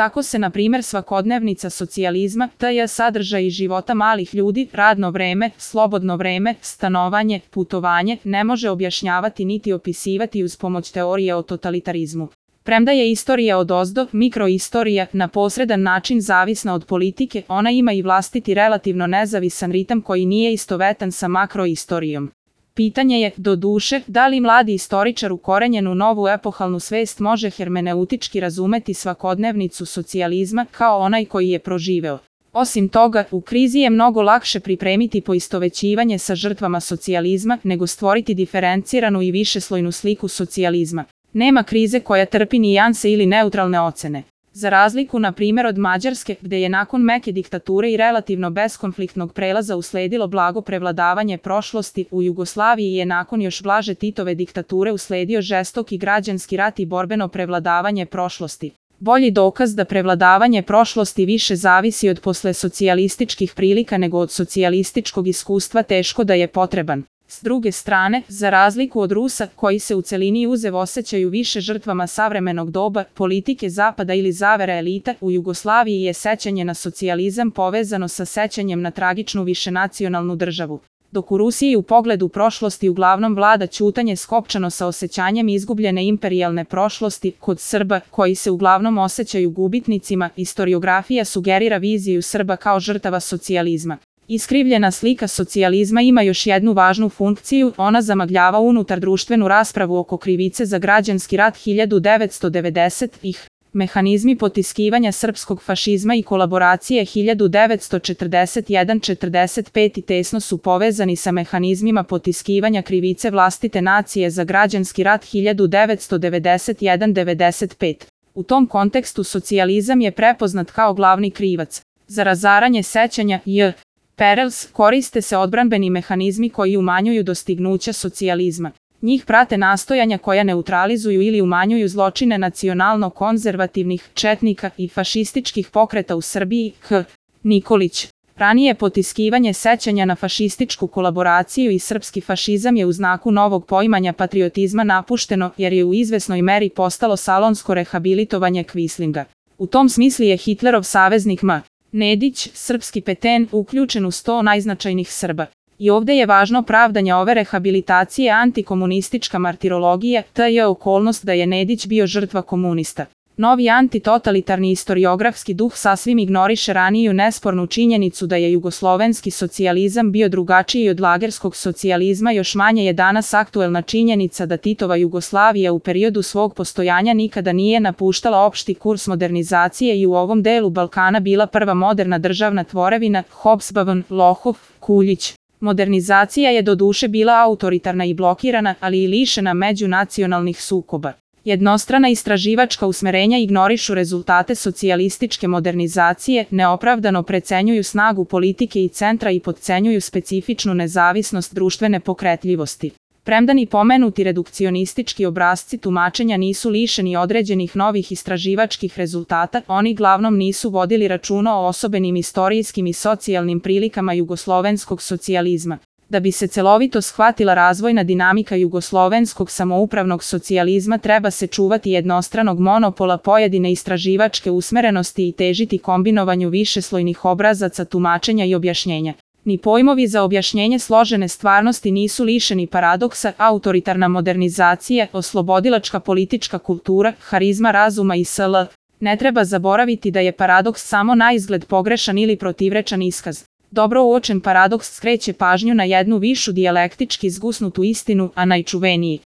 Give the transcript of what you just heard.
Tako se, na primjer, svakodnevnica socijalizma, tj. sadržaji života malih ljudi, radno vreme, slobodno vreme, stanovanje, putovanje, ne može objašnjavati niti opisivati uz pomoć teorije o totalitarizmu. Premda je istorija odozdo, mikroistorija, na posredan način zavisna od politike, ona ima i vlastiti relativno nezavisan ritam koji nije istovetan sa makroistorijom. Pitanje je, doduše, da li mladi istoričar ukorenjen u novu epohalnu svest može hermeneutički razumeti svakodnevnicu socijalizma kao onaj koji je proživeo. Osim toga, u krizi je mnogo lakše pripremiti poistovećivanje sa žrtvama socijalizma nego stvoriti diferenciranu i višeslojnu sliku socijalizma. Nema krize koja trpi nijanse ili neutralne ocene. Za razliku, na primjer, od Mađarske, gde je nakon meke diktature i relativno beskonfliktnog prelaza usledilo blago prevladavanje prošlosti, u Jugoslaviji je nakon još blaže Titove diktature usledio žestoki građanski rat i borbeno prevladavanje prošlosti. Bolji dokaz da prevladavanje prošlosti više zavisi od poslesocijalističkih prilika nego od socijalističkog iskustva teško da je potreban. S druge strane, za razliku od Rusa, koji se u celini uzev osjećaju više žrtvama savremenog doba, politike zapada ili zavere elita, u Jugoslaviji je sećanje na socijalizam povezano sa sećanjem na tragičnu višenacionalnu državu. Dok u Rusiji u pogledu prošlosti uglavnom vlada ćutanje skopčano sa osjećanjem izgubljene imperijalne prošlosti, kod Srba, koji se uglavnom osjećaju gubitnicima, istoriografija sugerira viziju Srba kao žrtava socijalizma. Iskrivljena slika socijalizma ima još jednu važnu funkciju, ona zamagljava unutar društvenu raspravu oko krivice za građanski rat 1990-ih. Mehanizmi potiskivanja srpskog fašizma i kolaboracije 1941-45 tesno su povezani sa mehanizmima potiskivanja krivice vlastite nacije za građanski rat 1991-95. U tom kontekstu socijalizam je prepoznat kao glavni krivac. Za razaranje sećanja Perels koriste se odbranbeni mehanizmi koji umanjuju dostignuća socijalizma. Njih prate nastojanja koja neutralizuju ili umanjuju zločine nacionalno-konzervativnih četnika i fašističkih pokreta u Srbiji. Nikolić. Ranije potiskivanje sećanja na fašističku kolaboraciju i srpski fašizam je u znaku novog poimanja patriotizma napušteno jer je u izvesnoj meri postalo salonsko rehabilitovanje Kvislinga. U tom smislu je Hitlerov saveznik Nedić, srpski Peten, uključen u 100 najznačajnih Srba. I ovdje je važno pravdanje ove rehabilitacije antikomunistička martirologija, te je okolnost da je Nedić bio žrtva komunista. Novi antitotalitarni istoriografski duh sasvim ignoriše raniju nespornu činjenicu da je jugoslovenski socijalizam bio drugačiji od lagerskog socijalizma, još manje je danas aktuelna činjenica da Titova Jugoslavija u periodu svog postojanja nikada nije napuštala opšti kurs modernizacije i u ovom delu Balkana bila prva moderna državna tvorevina, Hobsbawm, Lohov, Kuljić. Modernizacija je doduše bila autoritarna i blokirana, ali i lišena međunacionalnih sukoba. Jednostrana istraživačka usmerenja ignorišu rezultate socijalističke modernizacije, neopravdano precenjuju snagu politike i centra i potcenjuju specifičnu nezavisnost društvene pokretljivosti. Premda ni pomenuti redukcionistički obrasci tumačenja nisu lišeni određenih novih istraživačkih rezultata, oni glavnom nisu vodili računa o osobenim istorijskim i socijalnim prilikama jugoslovenskog socijalizma. Da bi se celovito shvatila razvojna dinamika jugoslovenskog samoupravnog socijalizma treba se čuvati jednostranog monopola pojedine istraživačke usmerenosti i težiti kombinovanju višeslojnih obrazaca tumačenja i objašnjenja. Ni pojmovi za objašnjenje složene stvarnosti nisu lišeni paradoksa, autoritarna modernizacija, oslobodilačka politička kultura, harizma razuma i sl. Ne treba zaboraviti da je paradoks samo naizgled pogrešan ili protivrečan iskaz. Dobro uočen paradoks skreće pažnju na jednu višu dijalektički zgusnutu istinu, a najčuveniji